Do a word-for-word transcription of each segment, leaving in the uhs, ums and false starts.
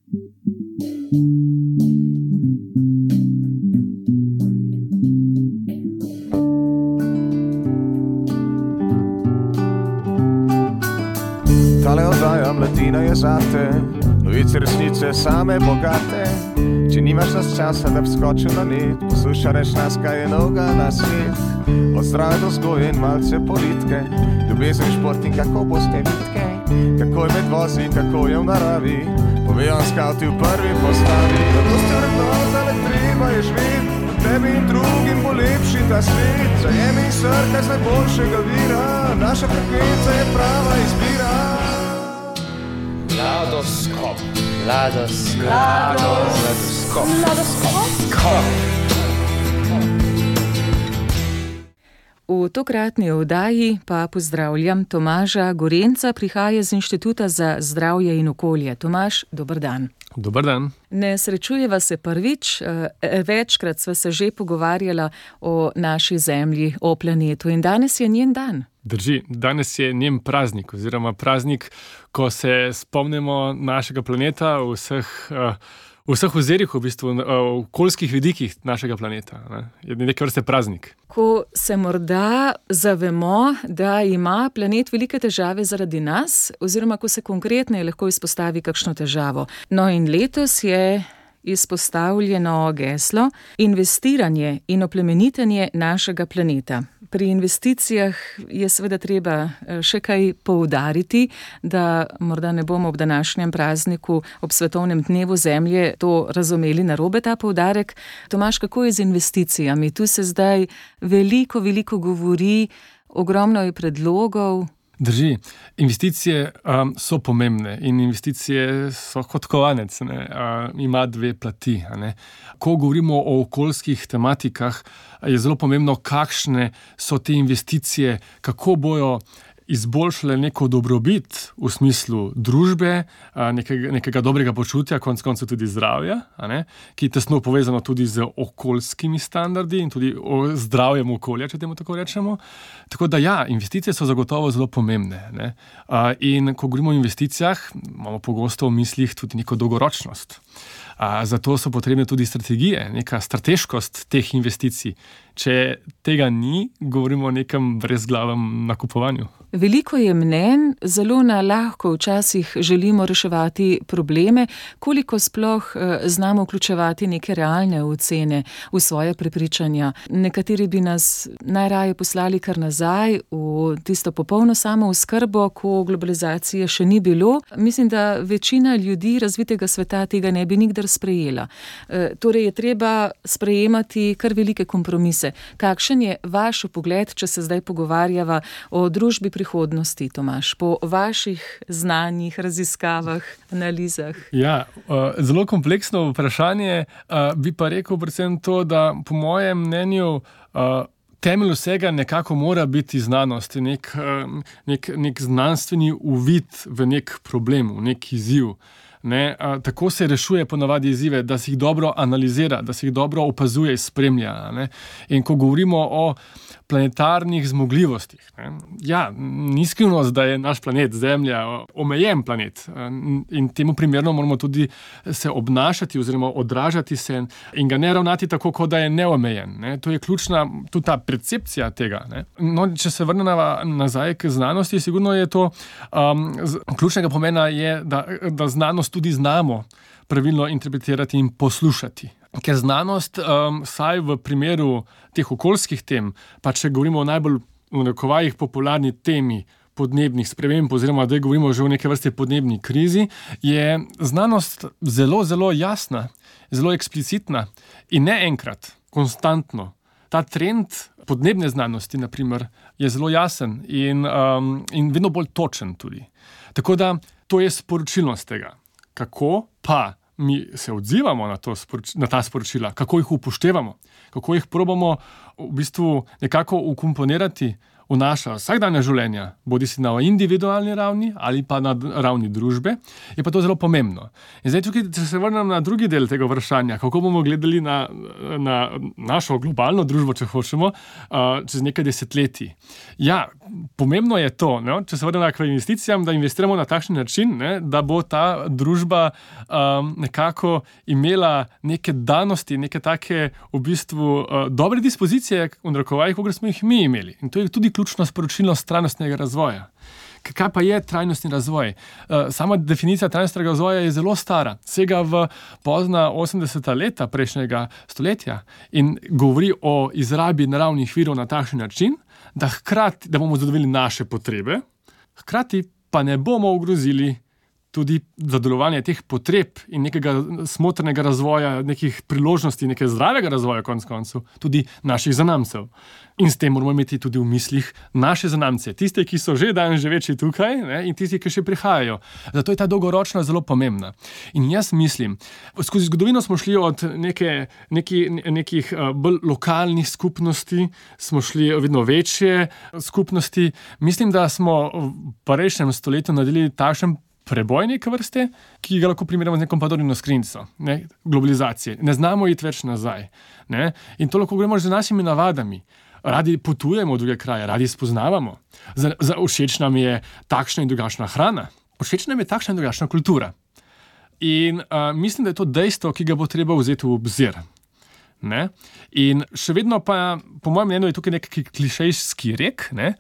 Tale oddaja Mladina je zate, novice resnice same bogate. Če nimaš nas časa, da bi skočil na net, poslušaj reč nas, kaj je novega na svet. Od zdrave do vzgoje in malce politike, ljubezen, šport in kako boste vitke, kako je med vozi, kako je v naravi, povejo skauti v prvi postavi. Zato ste vrednota, le treba je živeti, tebi in drugim bo lepši ta svet. Zajemi in srkaj z najboljšega vira, naša frekvenca je prava izbira. Mladoskop. Mladoskop. Mladoskop. Mladoskop. V tokratni oddaji pa pozdravljam Tomaža Gorenca, prihaja z Inštituta za zdravje in okolje. Tomaž, dober dan. Dober dan. Ne srečujeva se prvič, večkrat sva se že pogovarjala o naši zemlji, o planetu in danes je njen dan. Drži, danes je njen praznik oziroma praznik, ko se spomnimo našega planeta v vseh, v vseh ozirih, v bistvu v okoljskih vidikih našega planeta. Ne? Je nekaj vrste praznik. Ko se morda zavemo, da ima planet velike težave zaradi nas, oziroma ko se konkretno lahko izpostavi kakšno težavo. No in letos je izpostavljeno geslo investiranje in oplemenitenje našega planeta. Pri investicijah je seveda treba še kaj poudariti, da morda ne bomo ob današnjem prazniku, ob svetovnem dnevu zemlje to razumeli narobe, ta poudarek. Tomaž, kako je z investicijami? Tu se zdaj veliko, veliko govori, ogromno je predlogov. Drži, investicije um, so pomembne in investicije so kot kovanec, ne, uh, ima dve plati. Ne. Ko govorimo o okoljskih tematikah, je zelo pomembno, kakšne so te investicije, kako bojo izboljšale neko dobrobit v smislu družbe, nekega, nekega dobrega počutja, konec koncev tudi zdravja, a ne, ki je tesno povezano tudi z okoljskimi standardi in tudi o zdravjem okolja, če temu tako rečemo. Tako da ja, investicije so zagotovo zelo pomembne. Ne. In ko govorimo o investicijah, imamo pogosto v mislih tudi neko dolgoročnost. Zato so potrebne tudi strategije, neka strateškost teh investicij. Če tega ni, govorimo o nekem brezglavem nakupovanju. Veliko je mnenj, zelo na lahko včasih želimo reševati probleme, koliko sploh znamo vključevati neke realne ocene v svoje prepričanja. Nekateri bi nas najraje poslali kar nazaj v tisto popolno samooskrbo, ko globalizacije še ni bilo. Mislim, da večina ljudi razvitega sveta tega ne bi nikdar sprejela. E, torej je treba sprejemati kar velike kompromise. Kakšen je vaš pogled, če se zdaj pogovarjava o družbi prihodnosti, Tomaž, po vaših znanjih, raziskavah, analizah? Ja, zelo kompleksno vprašanje, bi pa rekel predvsem to, da po mojem mnenju temelj vsega nekako mora biti znanost, nek, nek, nek znanstveni uvid v nek problem, v nek izziv. Ne, a, tako se rešuje ponavadi izzive, da se jih dobro analizira, da se jih dobro opazuje in spremlja. Ne. In ko govorimo o planetarnih zmogljivostih, ne, ja, ni skrivnost, da je naš planet, Zemlja, omejen planet in temu primerno moramo tudi se obnašati oziroma odražati se in ga ne ravnati tako, kot da je neomejen. Ne. To je ključna tudi ta percepcija tega. Ne. No, če se vrnemo nazaj k znanosti, sigurno je to um, z, ključnega pomena je, da, da znanost tudi znamo pravilno interpretirati in poslušati. Ker znanost, um, saj v primeru teh okoljskih tem, pa če govorimo o najbolj v narekovajih popularni temi podnebnih sprememb, oziroma da govorimo že o neke vrste podnebni krizi, je znanost zelo, zelo jasna, zelo eksplicitna in ne enkrat, konstantno. Ta trend podnebne znanosti, na primer, je zelo jasen in, um, in vedno bolj točen tudi. Tako da to je sporočilnost tega. Kako pa mi se odzivamo na, to, na ta sporočila, kako jih upoštevamo, kako jih probamo v bistvu nekako ukomponirati, v naša vsakdanja življenja, bodi si na individualni ravni ali pa na ravni družbe, je pa to zelo pomembno. In zdaj tukaj, če se vrnem na drugi del tega vprašanja, kako bomo gledali na, na našo globalno družbo, če hočemo, čez nekaj desetletij. Ja, pomembno je to, ne, če se vrnem k investicijam, da investiramo na takšen način, ne, da bo ta družba um, nekako imela neke danosti, neke take v bistvu uh, dobre dispozicije, v narekovajih, kot smo jih mi imeli. In to je tudi ključno sporočilo trajnostnega razvoja. Kaj pa je trajnostni razvoj? Sama definicija trajnostnega razvoja je zelo stara, sega v pozna osemdeseta leta prejšnjega stoletja in govori o izrabi naravnih virov na takšen način, da hkrati, da bomo zadovoljili naše potrebe, hkrati pa ne bomo ogrozili tudi zadovoljevanje teh potreb in nekega smotrnega razvoja, nekih priložnosti, nekega zdravega razvoja konec koncev, tudi naših zanamcev. In s tem moramo imeti tudi v mislih naše zanamce, tiste, ki so že danes živeči tukaj, ne, in tisti, ki še prihajajo. Zato je ta dolgoročna zelo pomembna. In jaz mislim, skozi zgodovino smo šli od neke, neki, nekih bolj lokalnih skupnosti, smo šli vedno večje skupnosti. Mislim, da smo v prejšnjem stoletju naredili takšen preboj neke vrste, ki ga lahko primerjamo z nekom Pandorino skrinjico, ne, globalizacije. Ne znamo iti več nazaj. Ne, in to lahko gremo že z našimi navadami. Radi potujemo v druge kraje, radi spoznavamo. Za, za všeč nam je takšna in drugačna hrana. Všeč nam je takšna in drugačna kultura. In uh, mislim, da je to dejstvo, ki ga bo treba vzeti v obzir. Ne? In še vedno pa, po mojem mnenju, je tukaj nek klišejski rek, ne?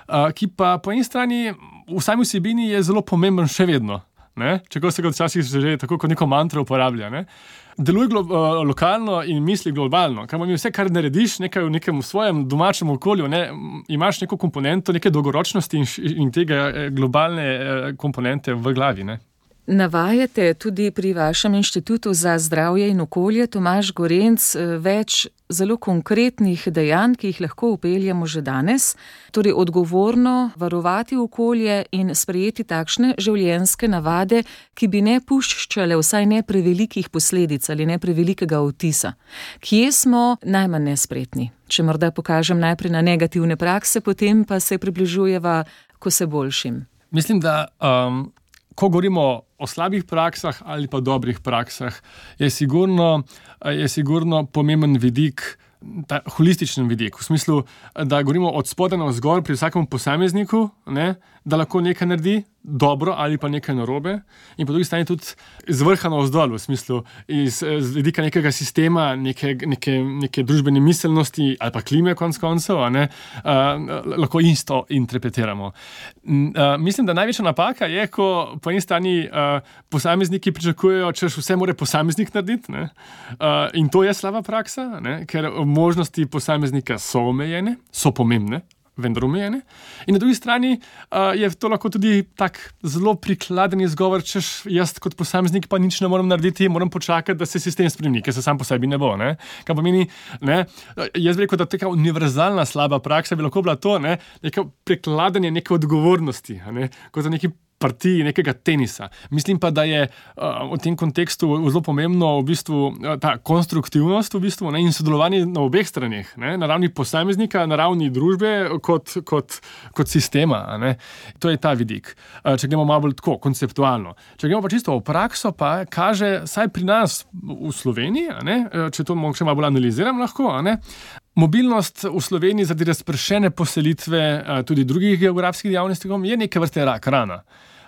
Uh, ki pa po eni strani v sami vsebini je zelo pomemben še vedno. Ne? Čeprav se ga včasih že tako kot neko mantro uporablja. Ne? Deluj glo- uh, lokalno in misli globalno. Kar pomeni vse, kar narediš nekaj v nekem svojem domačem okolju, ne? Imaš neko komponento, neke dolgoročnosti in, in tega globalne uh, komponente v glavi. Ne? Navajate tudi pri vašem inštitutu za zdravje in okolje, Tomaž Gorenc, več zelo konkretnih dejanj, ki jih lahko upeljamo že danes, torej odgovorno varovati okolje in sprejeti takšne življenjske navade, ki bi ne puščale vsaj ne prevelikih posledic ali ne prevelikega vtisa. Kje smo najmanj nespretni? Če morda pokažem najprej na negativne prakse, potem pa se približujeva k vse boljšim. Mislim, da um, ko govorimo o slabih praksah ali pa dobrih praksah, je sigurno, je sigurno pomemben vidik, ta holističen vidik, v smislu, da govorimo od spodaj navzgor pri vsakem posamezniku, ne, da lahko nekaj naredi dobro ali pa nekaj narobe, in po drugi strani tudi z vrha navzdol, v smislu iz, z vidika nekega sistema, neke, neke, neke družbene miselnosti ali pa klime konec koncev, a ne, uh, lahko isto interpretiramo. Uh, mislim, da največja napaka je, ko po eni strani uh, posamezniki pričakujejo, če vse mora posameznik narediti, ne, uh, in to je slaba praksa, ne, ker možnosti posameznika so omejene, so pomembne, vendar omejene. In na drugi strani uh, je to lahko tudi tak zelo prikladen izgovor, češ jaz kot posameznik pa nič ne moram narediti, moram počakati, da se sistem spremeni, ker se sam po sebi ne bo. Ne? Kaj pomeni, ne? Jaz bi rekel, da taka univerzalna slaba praksa bi lahko bila to, ne? Neko prikladanje neke odgovornosti, ne? Kot za neki partiji nekega tenisa. Mislim pa, da je uh, v tem kontekstu zelo pomembno v bistvu uh, ta konstruktivnost v bistvu, ne, in sodelovanje na obeh straneh, ne, na ravni posameznika, na ravni družbe kot, kot, kot sistema. Ne. To je ta vidik. Uh, če gremo malo bolj tako, konceptualno. Če gremo pa čisto v prakso, pa kaže, saj pri nas v Sloveniji, a ne, če to mogoče malo bolj analiziram lahko, a ne, mobilnost v Sloveniji zaradi razpršene poselitve tudi drugih geografskih dejavnosti je neke vrste rak rana.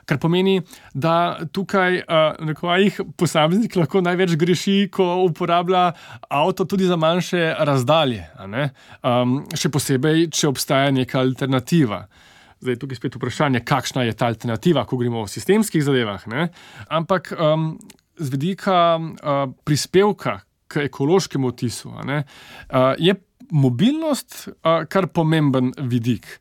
Kar pomeni, da tukaj nekaj posameznik lahko največ greši, ko uporablja avto tudi za manjše razdalje. A ne? Um, še posebej, če obstaja neka alternativa. Zdaj, tukaj spet vprašanje, kakšna je ta alternativa, ko govorimo o sistemskih zadevah. Ne? Ampak um, z vidika uh, prispevka k ekološkemu odtisu, a ne, uh, je mobilnost uh, kar pomemben vidik.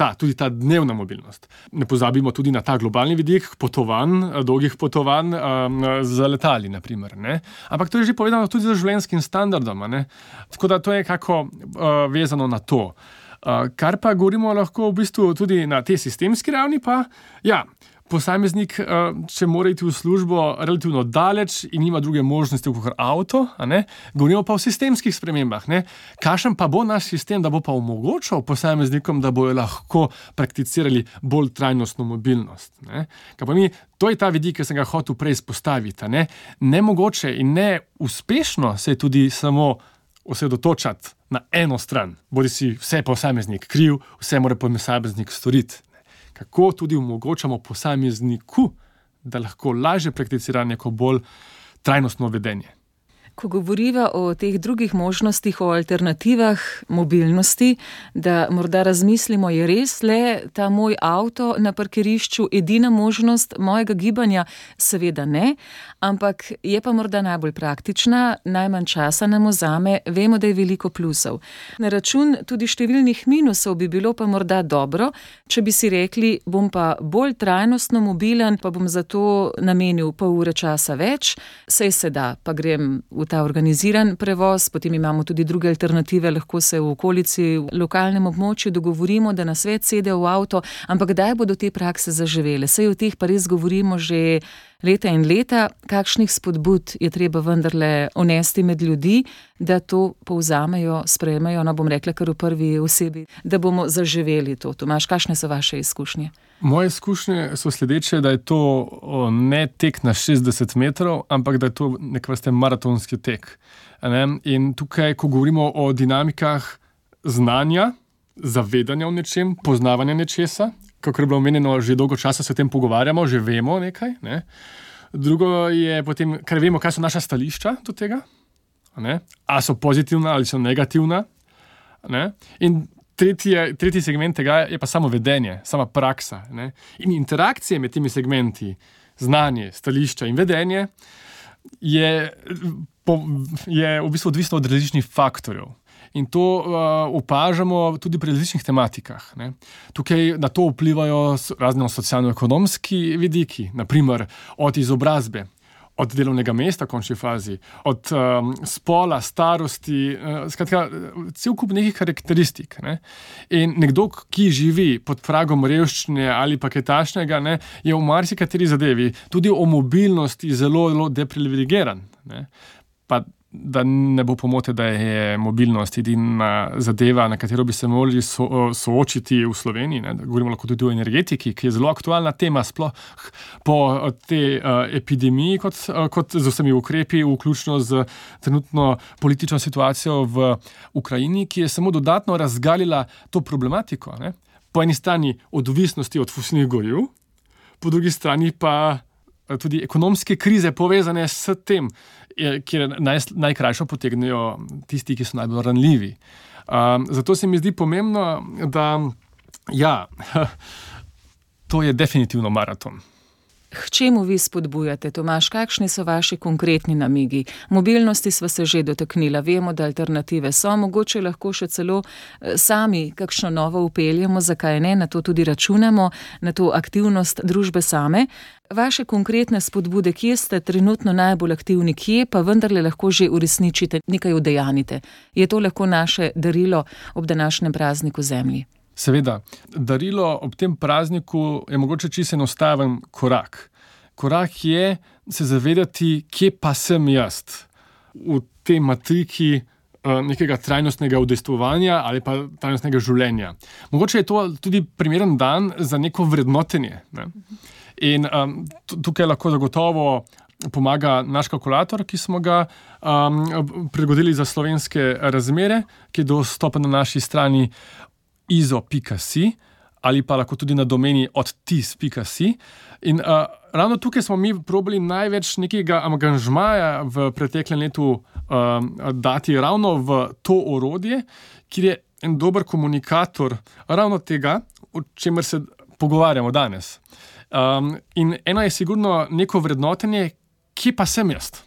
Ta, tudi ta dnevna mobilnost. Ne pozabimo tudi na ta globalni vidik potovanj, dolgih potovanj um, z letali, naprimer. Ne? Ampak to je že povedano tudi z življenjskim standardom. Ne? Tako da to je kako uh, vezano na to. Uh, kar pa govorimo lahko v bistvu tudi na tej sistemski ravni, pa ja, posameznik, če mora iti v službo relativno daleč in nima druge možnosti kot avto, a ne? Govorimo pa o sistemskih spremembah. Ne? Kakšen pa bo naš sistem, da bo pa omogočal posameznikom, da bojo lahko prakticirali bolj trajnostno mobilnost. Ne? Kaj pa mi, to je ta vidik, ki sem ga hotel prej izpostaviti. Ne? Nemogoče in ne uspešno se je tudi samo osredotočati na eno stran. Bodi si vse posameznik kriv, vse mora posameznik storiti. Kako tudi omogočamo posamezniku, da lahko lažje prakticira neko bolj trajnostno vedenje. Ko govoriva o teh drugih možnostih, o alternativah mobilnosti, da morda razmislimo, je res le ta moj avto na parkirišču edina možnost mojega gibanja? Seveda ne, ampak je pa morda najbolj praktična, najmanj časa nam vzame, vemo, da je veliko plusov. Na račun tudi številnih minusov bi bilo pa morda dobro, če bi si rekli, bom pa bolj trajnostno mobilen, pa bom zato namenil pol ure časa več, sej se da, pa grem v ta organiziran prevoz, potem imamo tudi druge alternative, lahko se v okolici, v lokalnem območju dogovorimo, da nas več sede v avto, ampak kdaj bodo te prakse zaživele? Sej o teh pa res govorimo že leta in leta, kakšnih spodbud je treba vendarle unesti med ljudi, da to povzamejo, sprejmejo, no bom rekla kar v prvi osebi, da bomo zaživeli to. Tomaž, kakšne so vaše izkušnje? Moje izkušnje so sledeče, da je to ne tek na šestdeset metrov, ampak da je to nek vrste maratonski tek. Ne? In tukaj, ko govorimo o dinamikah znanja, zavedanja o nečem, poznavanja nečesa, kakor je bilo omenjeno, že dolgo časa se o tem pogovarjamo, že vemo nekaj. Ne? Drugo je potem, kar vemo, kaj so naša stališča do tega, ne? A so pozitivna ali so negativna. Ne? In Tretji, tretji segment tega je pa samo vedenje, sama praksa. Ne? In interakcije med temi segmenti, znanje, stališča in vedenje, je, po, je v bistvu odvisno od različnih faktorjev. In to uh, opažamo tudi pri različnih tematikah. Ne? Tukaj na to vplivajo razne socialno-ekonomski vidiki, naprimer od izobrazbe, od delovnega mesta, v končni fazi, od um, spola, starosti, uh, skratka, cel kup nekih karakteristik. Ne? In nekdo, ki živi pod pragom revščine ali pa kaj takšnega, ne, je v marsikateri zadevi tudi o mobilnosti zelo, zelo deprivilegiran. Ne? Pa da ne bo pomote, da je mobilnost edina zadeva, na katero bi se morali so, soočiti v Sloveniji. Ne? Govorimo lahko tudi o energetiki, ki je zelo aktualna tema, sploh po tej uh, epidemiji, kot, uh, kot z vsemi ukrepi, vključno z trenutno politično situacijo v Ukrajini, ki je samo dodatno razgalila to problematiko. Ne? Po eni strani odvisnosti od fosilnih goriv, po drugi strani pa tudi ekonomske krize povezane s tem, kjer naj, najkrajšo potegnejo tisti, ki so najbolj ranljivi. Um, zato se mi zdi pomembno, da ja, to je definitivno maraton. K čemu vi spodbujate, Tomaž? Kakšni so vaši konkretni namigi? Mobilnosti sva se že dotaknila, vemo, da alternative so, mogoče lahko še celo sami kakšno novo upeljemo, zakaj ne, na to tudi računamo, na to aktivnost družbe same. Vaše konkretne spodbude, kje ste trenutno najbolj aktivni, kje pa vendarle lahko že uresničite, nekaj udejanite? Je to lahko naše darilo ob današnjem prazniku Zemlji? Seveda, darilo ob tem prazniku je mogoče čisto enostaven korak. Korak je se zavedati, kje pa sem jaz v tej matriki nekega trajnostnega udejstvovanja ali pa trajnostnega življenja. Mogoče je to tudi primeren dan za neko vrednotenje. Ne? In um, tukaj lahko zagotovo pomaga naš kalkulator, ki smo ga um, prilagodili za slovenske razmere, ki je dostopen na naši strani izo pika si ali pa lahko tudi na domeni odtis pika si. In uh, ravno tukaj smo mi probali največ nekega angažmaja v preteklem letu um, dati ravno v to orodje, kjer je en dober komunikator ravno tega, o čemer se pogovarjamo danes. Um, in eno je sigurno neko vrednotenje, kje pa sem jaz?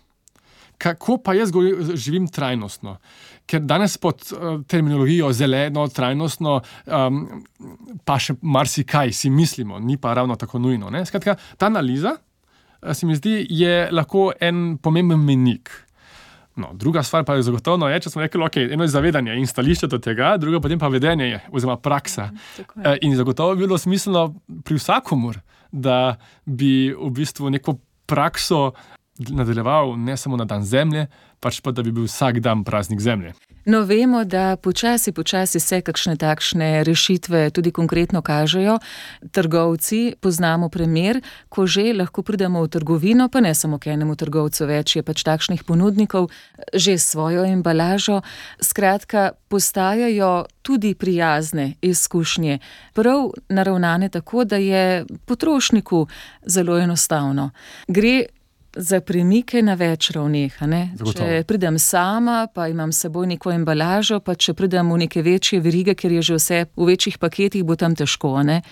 Kako pa jaz živim trajnostno? Ker danes pod uh, terminologijo zeleno, trajnostno, um, pa še marsikaj si mislimo, ni pa ravno tako nujno. Ne? Skratka, ta analiza, se mi zdi, je lahko en pomemben menik. No, druga stvar pa je zagotovno je, če smo rekli, ok, eno je zavedanje in stališče do tega, druga potem pa vedenje je, oziroma praksa. Mm, in zagotovo bi bilo smiselno pri vsakomur, da bi v bistvu neko prakso nadaljeval ne samo na dan zemlje, pač pa da bi bil vsak dan praznik zemlje. No, vemo, da počasi, počasi se kakšne takšne rešitve tudi konkretno kažejo. Trgovci, poznamo primer, ko že lahko pridemo v trgovino, pa ne samo k enemu trgovcu, več je pač takšnih ponudnikov, že s svojo embalažo. Skratka, postajajo tudi prijazne izkušnje, prav naravnane tako, da je potrošniku zelo enostavno. Gre za premike na več ravneh. Če pridem sama, pa imam s seboj neko embalažo, pa če pridem v neke večje verige, ker je že vse v večjih paketih, bo tam težko, ne?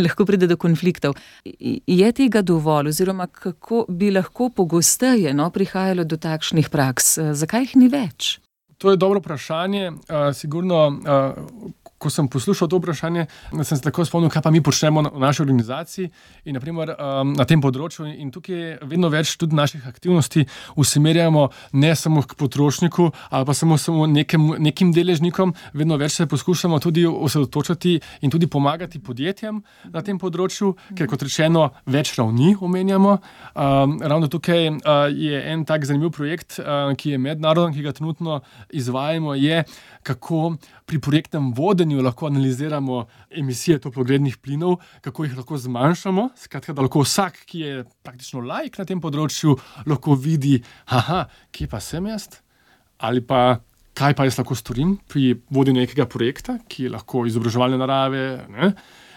Lahko pride do konfliktov. Je tega dovolj, oziroma kako bi lahko pogosteje no, prihajalo do takšnih praks? Zakaj jih ni več? To je dobro vprašanje. Uh, sigurno, uh, ko sem poslušal to vprašanje, sem se tako spomnil, kaj pa mi počnemo v naši organizaciji in naprimer um, na tem področju. In tukaj vedno več tudi naših aktivnosti usmerjamo ne samo k potrošniku ali pa samo, samo nekem, nekim deležnikom, vedno več se poskušamo tudi osredotočati in tudi pomagati podjetjem na tem področju, ker kot rečeno več ravni omenjamo. Um, ravno tukaj uh, je en tak zanimiv projekt, uh, ki je mednaroden, ki ga trenutno izvajamo, je kako pri projektnem vodenju lahko analiziramo emisije toplogrednih plinov, kako jih lahko zmanjšamo, skratka, da lahko vsak, ki je praktično laik na tem področju, lahko vidi, aha, kje pa sem jaz, ali pa kaj pa jaz lahko storim pri vodenju nekega projekta, ki je lahko izobraževalne narave, ne?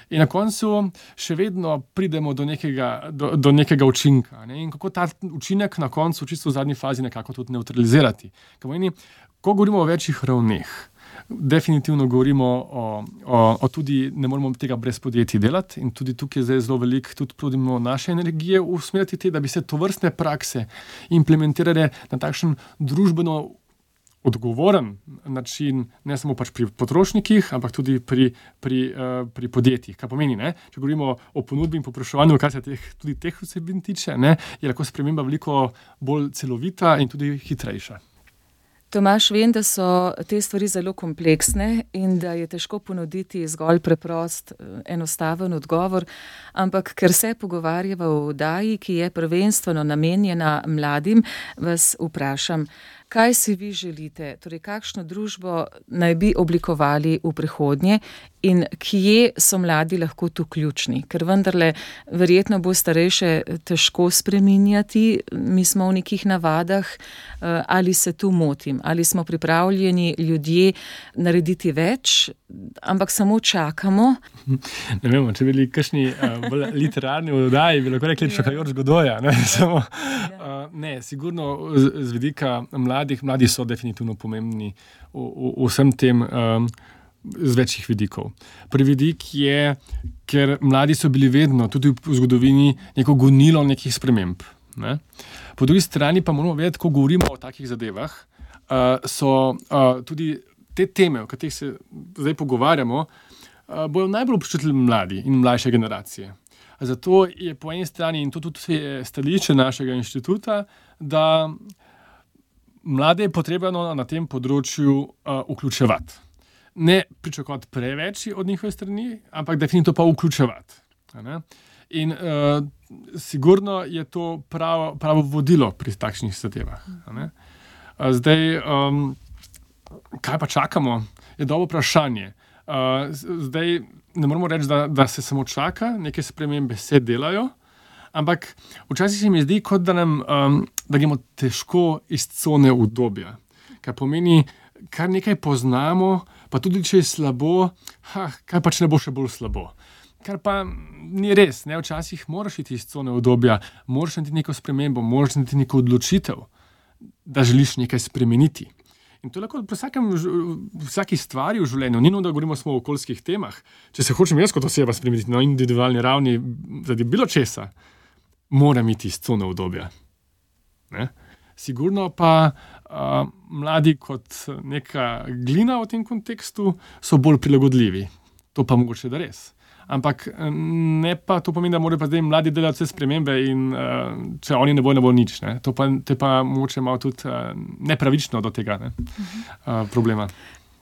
In na koncu še vedno pridemo do nekega, do, do nekega učinka. Ne? In kako ta učinek na koncu, čisto v zadnji fazi, nekako tudi neutralizirati. Pomeni, ko govorimo o večjih ravneh, definitivno govorimo o, o, o tudi, ne moramo tega brez podjetij delati in tudi tukaj je zdaj zelo veliko, tudi trudimo naše energije usmeriti te, da bi se tovrstne prakse implementirale na takšen družbeno odgovoren način, ne samo pač pri potrošnikih, ampak tudi pri, pri, uh, pri podjetjih. Kaj pomeni, ne? Če govorimo o ponudbi in povpraševanju, kar se teh, tudi teh vsebin tiče, ne, je lahko sprememba veliko bolj celovita in tudi hitrejša. Tomaž, vem, da so te stvari zelo kompleksne in da je težko ponuditi zgolj preprost, enostaven odgovor, ampak ker se pogovarjava o oddaji, ki je prvenstveno namenjena mladim, vas vprašam, kaj si vi želite, torej kakšno družbo naj bi oblikovali v prihodnje in kje so mladi lahko tu ključni? Ker vendarle verjetno bo starejše težko spreminjati, mi smo v nekih navadah, ali se tu motim, ali smo pripravljeni ljudje narediti več, ampak samo čakamo. Ne vemo, če bili kakšni uh, literarni oddaji, bi lahko rekli čakajoč Godoja. Ne, samo, uh, ne sigurno z, z vidika mladih, mladi so definitivno pomembni v, v, v vsem tem um, z večjih vidikov. Prvi vidik je, ker mladi so bili vedno, tudi v zgodovini, neko gonilo nekih sprememb. Ne? Po drugi strani pa moramo vedeti, ko govorimo o takih zadevah, uh, so uh, tudi te teme, o katerih se zdaj pogovarjamo, uh, bojo najbolj občutili mladi in mlajše generacije. Zato je po eni strani, in to tudi je stališče našega inštituta, da mlade je potrebno na tem področju uh, vključevati. Ne pričakovati preveč od njihove strani, ampak definitivno pa vključevati. Ne? In uh, sigurno je to pravo, pravo vodilo pri takšnih zadevah. Ne? Uh, zdaj, um, kaj pa čakamo, je dobro vprašanje. Uh, zdaj ne moramo reči, da, da se samo čaka, neke spremembe se delajo, ampak včasih se mi zdi, kot da nam um, da gremo težko iz cone udobja. Kar pomeni, kar nekaj poznamo, pa tudi če je slabo, ha, kaj pa če ne bo še bolj slabo. Kar pa ni res, ne? Včasih moraš iti iz cone udobja, moraš narediti neko spremembo, moraš narediti neko odločitev, da želiš nekaj spremeniti. In to je lahko pri vsakem, vsaki stvari v življenju, ni nujno, da govorimo samo o okoljskih temah. Če se hočem jaz kot oseba spremeniti na individualni ravni, zaradi bilo česa, moram iti iz cone udobja. Ne? Sigurno pa uh, mladi kot neka glina v tem kontekstu so bolj prilagodljivi. To pa mogoče da res. Ampak ne pa to pomeni, da morajo pa zdaj mladi delati vse spremembe in uh, če oni ne bo, ne bo nič. Ne? To pa, te pa mogoče malo tudi uh, nepravično do tega ne? Uh, problema.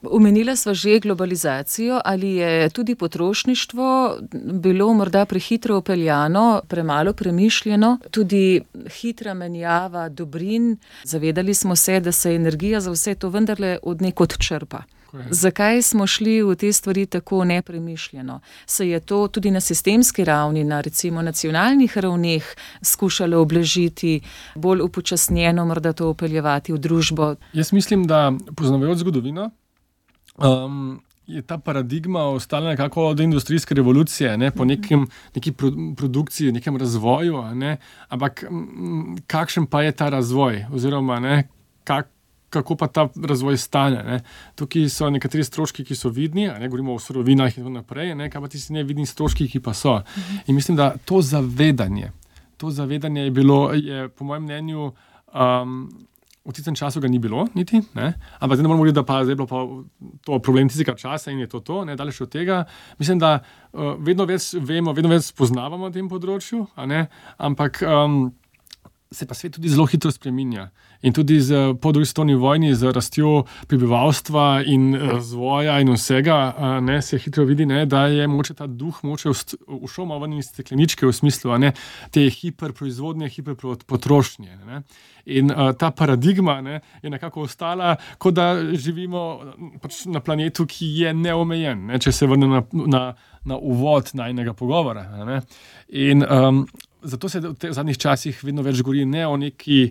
Omenila sva že globalizacijo, ali je tudi potrošništvo bilo morda prehitro upeljano, premalo premišljeno, tudi hitra menjava dobrin. Zavedali smo se, da se energija za vse to vendarle od nekod črpa. Zakaj smo šli v te stvari tako nepremišljeno? Se je to tudi na sistemski ravni, na recimo nacionalnih ravneh skušalo oblažiti, bolj upočasnjeno morda to upeljevati v družbo? Jaz mislim, da poznavajoč zgodovino, Um, je ta paradigma ostala nekako od industrijske revolucije, ne, po nekem, neki pro, produkciji, nekem razvoju, ne, ampak m, kakšen pa je ta razvoj, oziroma ne, kak, kako pa ta razvoj stane. Ne. Tukaj so nekateri stroški, ki so vidni, ne, govorimo o surovinah in tako naprej, ne, kaj pa ti si nevidni stroški, ki pa so. In mislim, da to zavedanje, to zavedanje je bilo, je po mojem mnenju, um, v tistem času ga ni bilo, niti, ne? Ampak zdaj ne moramo govoriti, da pa zdaj je bilo pa to problem tistega časa in je to to, ne, daleč od tega. Mislim, da uh, vedno več vemo, vedno več spoznavamo na tem področju, a ne? Ampak um, se pa svet tudi zelo hitro spreminja. In tudi z, po drugi svetovni vojni, z rastjo prebivalstva in razvoja in vsega, ne, se hitro vidi, ne, da je moče ta duh moče ušel malo ven iz stekleničke v smislu, a ne, te hiperproizvodnje, hiperpotrošnje. Ne. In a, ta paradigma, ne, je nekako ostala, kot da živimo pač na planetu, ki je neomejen, ne, če se vrne na, na, na uvod najnega pogovora. Ne. In um, zato se v teh zadnjih časih vedno več govori ne o neki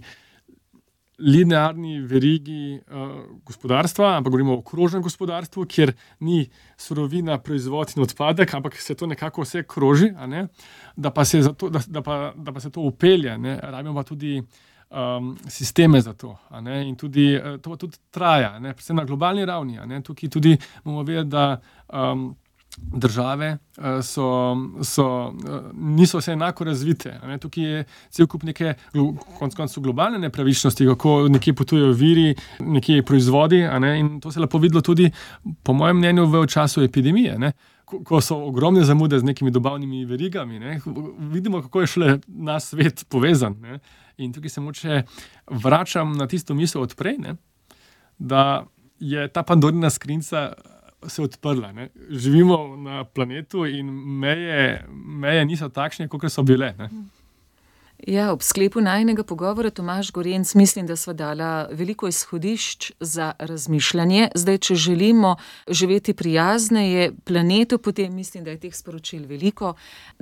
linearni verigi uh, gospodarstva, ampak govorimo o krožnem gospodarstvu, kjer ni surovina, proizvod in odpadek, ampak se to nekako vse kroži, a ne? Da, pa se zato, da, da, pa, da pa se to upelje, ne? Rabimo pa tudi um, sisteme za to, a ne? In tudi, uh, to tudi traja, ne? Predvsem na globalni ravni, a ne? Tukaj tudi bomo vedeti, da um, države uh, so, so, uh, niso vse enako razvite. Ne? Tukaj je cel kup neke konec koncev globalne nepravičnosti, kako nekje potujejo viri, nekje proizvodi, a ne? In to se lepo videlo tudi, po mojem mnenju, v času epidemije, ne? Ko, ko so ogromne zamude z nekimi dobavnimi verigami. Ne? Vidimo, kako je šele naš svet povezan. Ne? In tukaj se moče vračam na tisto misel od prej, ne? Da je ta Pandorina skrinjica se odprla. Ne? Živimo na planetu in meje, meje niso takšne, kot so bile. Ne? Ja, ob sklepu najinega pogovora, Tomaž Gorenc, mislim, da sva dala veliko izhodišč za razmišljanje. Zdaj, če želimo živeti prijazneje planetu, potem mislim, da je teh sporočil veliko.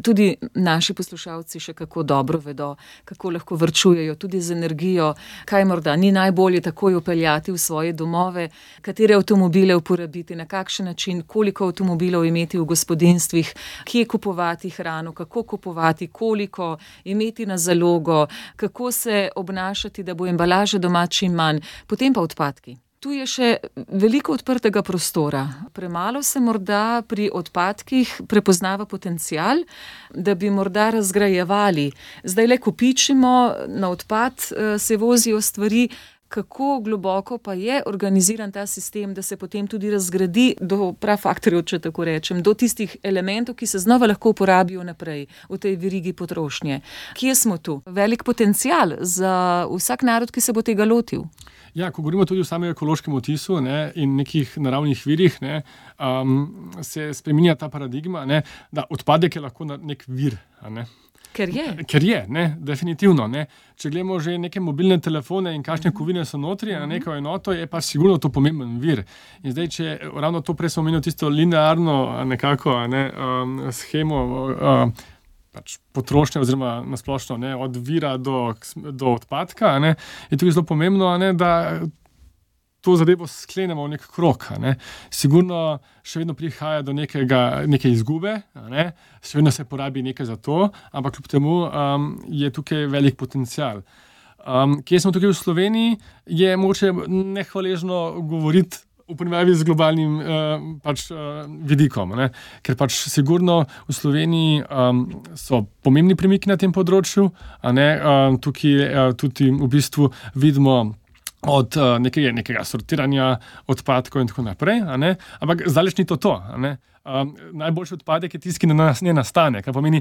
Tudi naši poslušalci še kako dobro vedo, kako lahko varčujejo tudi z energijo, kaj morda ni najbolje takoj upeljati v svoje domove, katere avtomobile uporabiti, na kakšen način, koliko avtomobilov imeti v gospodinjstvih, kje kupovati hrano, kako kupovati, koliko imeti na zalogo, kako se obnašati, da bo embalaže doma čim manj, potem pa odpadki. Tu je še veliko odprtega prostora. Premalo se morda pri odpadkih prepoznava potencial, da bi morda razgrajevali. Zdaj le kopičimo, na odpad se vozijo stvari. Kako globoko pa je organiziran ta sistem, da se potem tudi razgradi do prafaktorjev, če tako rečem, do tistih elementov, ki se znova lahko uporabijo naprej v tej verigi potrošnje. Kje smo tu? Velik potencial za vsak narod, ki se bo tega lotil. Ja, ko govorimo tudi o samem ekološkem odtisu, ne, in nekih naravnih virih, ne, um, se spreminja ta paradigma, ne, da odpadek je lahko nek vir, a ne. Ker je. Ker je, ne, definitivno. Ne. Če gledamo že neke mobilne telefone in kakšne kovine so notri, na neko enoto, je pa sigurno to pomemben vir. In zdaj, če ravno to prej smo omenili tisto linearno nekako, ne, um, shemo um, pač potrošnje oziroma nasplošno, ne, od vira do, do odpadka, ne, je tudi zelo pomembno, ne, da to zadevo sklenemo v nek krog. Ne. Sigurno še vedno prihaja do nekega, neke izgube, ne. Še vedno se porabi nekaj za to, ampak kljub temu um, je tukaj velik potencial. Um, kje smo tukaj v Sloveniji, je mogoče nehvaležno govoriti v primerjavi z globalnim uh, pač, uh, vidikom. Ne. Ker pač sigurno v Sloveniji um, so pomembni premiki na tem področju, a ne, um, tukaj uh, tudi v bistvu vidimo od uh, nekega, nekega sortiranja odpadkov in tako naprej, a ne? Ampak zdaleč ni to to. A ne? Um, najboljši odpadek je tisti, ki na nas ne nastane. Kar pomeni,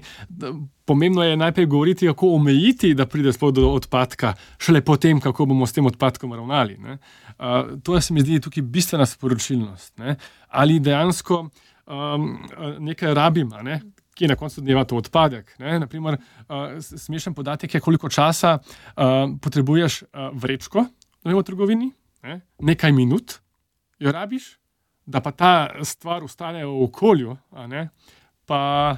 pomembno je najprej govoriti, kako omejiti, da pride sploh do odpadka, šele potem, kako bomo s tem odpadkom ravnali. Ne? Uh, to se mi zdi tukaj bistvena sporočilnost. Ne? Ali dejansko um, nekaj rabim, a ne? Ki je na koncu dneva to odpadek. Ne? Naprimer, uh, smešen podatek je, koliko časa uh, potrebuješ uh, vrečko v trgovini, ne? Nekaj minut jo rabiš, da pa ta stvar ostane v okolju, a ne? Pa,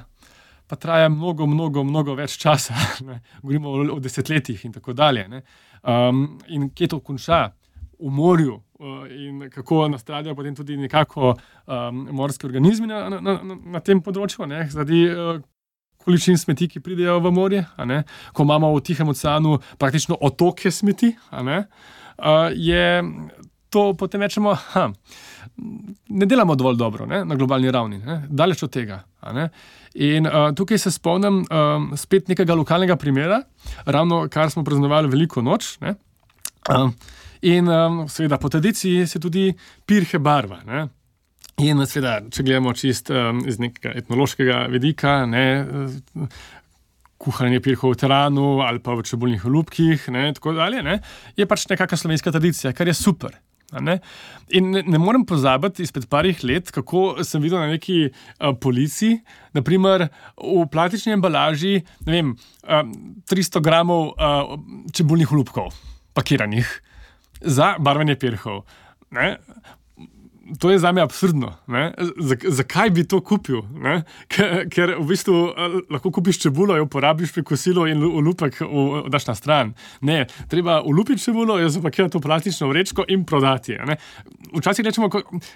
pa traja mnogo, mnogo, mnogo več časa. Ne? Govorimo o, o desetletjih in tako dalje. Ne? Um, in kje to konča? V morju uh, in kako nastradajo potem tudi nekako um, morski organizmi na, na, na, na tem področju, ne? Zaradi uh, količin smeti, ki pridejo v morje, a ne? Ko imamo v Tihem oceanu praktično otoke smeti, a ne? Uh, je to potem rečemo, ha, ne delamo dovolj dobro, ne, na globalni ravni, ne, daleč od tega. A ne. In uh, tukaj se spomnim um, spet nekega lokalnega primera, ravno kar smo praznovali Veliko noč. Ne. Um, in um, seveda po tradiciji se tudi pirhe barva. Ne. In seveda, če gledamo čist um, iz nekega etnološkega vidika, ne, kuhanje pirhov v teranu ali pa v čebulnih olupkih, ne, tako dalje, ne, je pač nekakšna slovenska tradicija, kar je super. Ne? In ne, ne morem pozabiti izpred parih let, kako sem videl na neki uh, policiji, naprimer v plastični embalaži, ne vem, uh, tristo gramov uh, čebulnih olupkov, pakiranih za barvanje pirhov. Ne? To je zame absurdno. Zakaj bi to kupil? Ker, ker v bistvu lahko kupiš čebulo, jo porabiš pri kosilu in olupek daš na stran. Ne, treba olupiti čebulo, jo zapakirati v plastično vrečko in prodati. Ne? Včasih rečemo,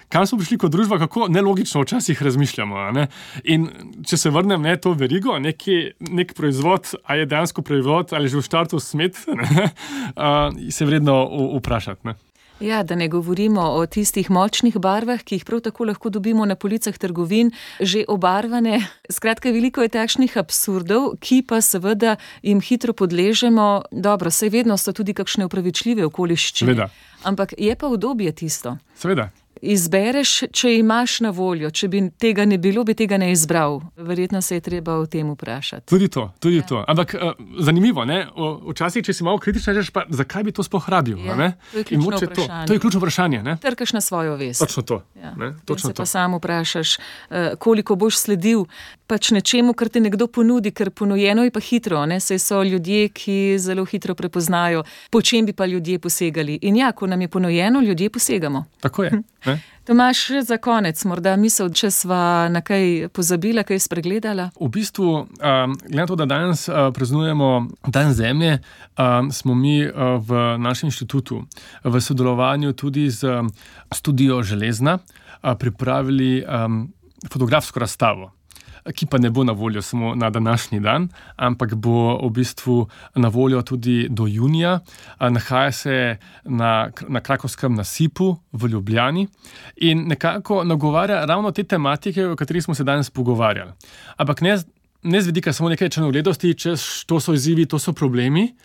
kam smo prišli kot družba, kako nelogično včasih razmišljamo. Ne? In če se vrnem ne, to verigo, neki, nek proizvod, a je dejansko proizvod ali že v štartu smet, ne? Uh, se vredno vprašati. Ne? Ja, da ne govorimo o tistih močnih barvah, ki jih prav tako lahko dobimo na policah trgovin, že obarvane. Skratka, veliko je takšnih absurdov, ki pa seveda jim hitro podležemo. Dobro, saj vedno so tudi kakšne upravičljive okoliščine. Seveda. Ampak je pa udobje tisto. Seveda. Izbereš, če imaš na voljo. Če bi tega ne bilo, bi tega ne izbral. Verjetno se je treba o tem vprašati. Tudi to, tudi ja. to. Ampak uh, zanimivo, ne? O, včasih, če si malo kritičen, rečeš pa, zakaj bi to sploh rabil? Ja, ne? To je ključno vprašanje. To, to je ključno vprašanje. Ne? Trkaš na svojo vest. Točno to. Ja. Ne? Točno se to. Pa sam vprašaš, koliko boš sledil pač nečemu, kar ti nekdo ponudi, ker ponujeno je pa hitro. Ne? Saj so ljudje, ki zelo hitro prepoznajo, po čem bi pa ljudje posegali. In ja, ko nam je ponujeno, ljudje posegamo. Tako je. Ne? Tomaž, za konec, morda misel, če sva na kaj pozabila, kaj spregledala? V bistvu, um, glede na to, da danes uh, praznujemo Dan zemlje, um, smo mi uh, v našem inštitutu v sodelovanju tudi z studio Železna uh, pripravili um, fotografsko razstavo, ki pa ne bo na voljo samo na današnji dan, ampak bo v bistvu na voljo tudi do junija. Nahaja se na, na Krakovskem nasipu v Ljubljani in nekako nagovarja ravno te tematike, o katerih smo se danes pogovarjali. Ampak ne, ne z vidika samo nekaj črnogledosti, češ to so izzivi, to so problemi,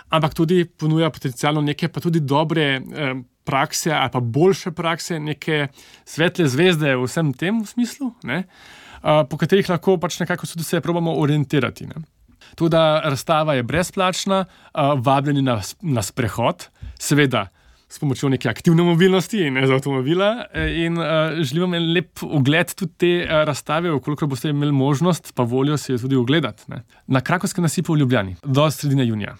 ampak tudi ponuja potencialno neke pa tudi dobre eh, prakse ali pa boljše prakse, neke svetle zvezde v vsem tem v smislu, ne? Po katerih lahko pač nekako tudi se probamo orientirati. Ne. Tudi razstava je brezplačna, vabljeni na, na sprehod, seveda s pomočjo neke aktivne mobilnosti in ne z avtomobila in želim vam lep ogled tudi te razstave, koliko boste imeli možnost, pa voljo se jo tudi ogledati. Ne. Na Krakovskem nasipu v Ljubljani do sredine junija.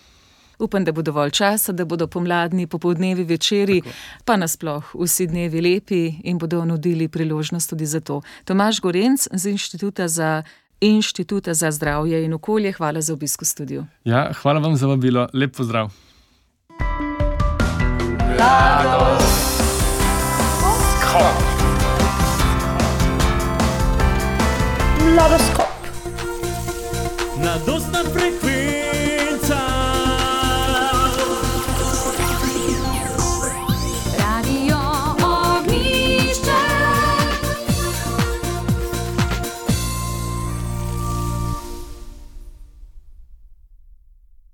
Upam, da bo dovolj časa, da bodo pomladni popoldnevi večeri, tako, pa nasploh vsi dnevi lepi in bodo nudili priložnost tudi za to. Tomaž Gorenc z Inštituta za, Inštituta za zdravje in okolje, hvala za obisk v studiu. Ja, hvala vam za vabilo. Lep pozdrav. Mladoskop. Mladostna frekvenca.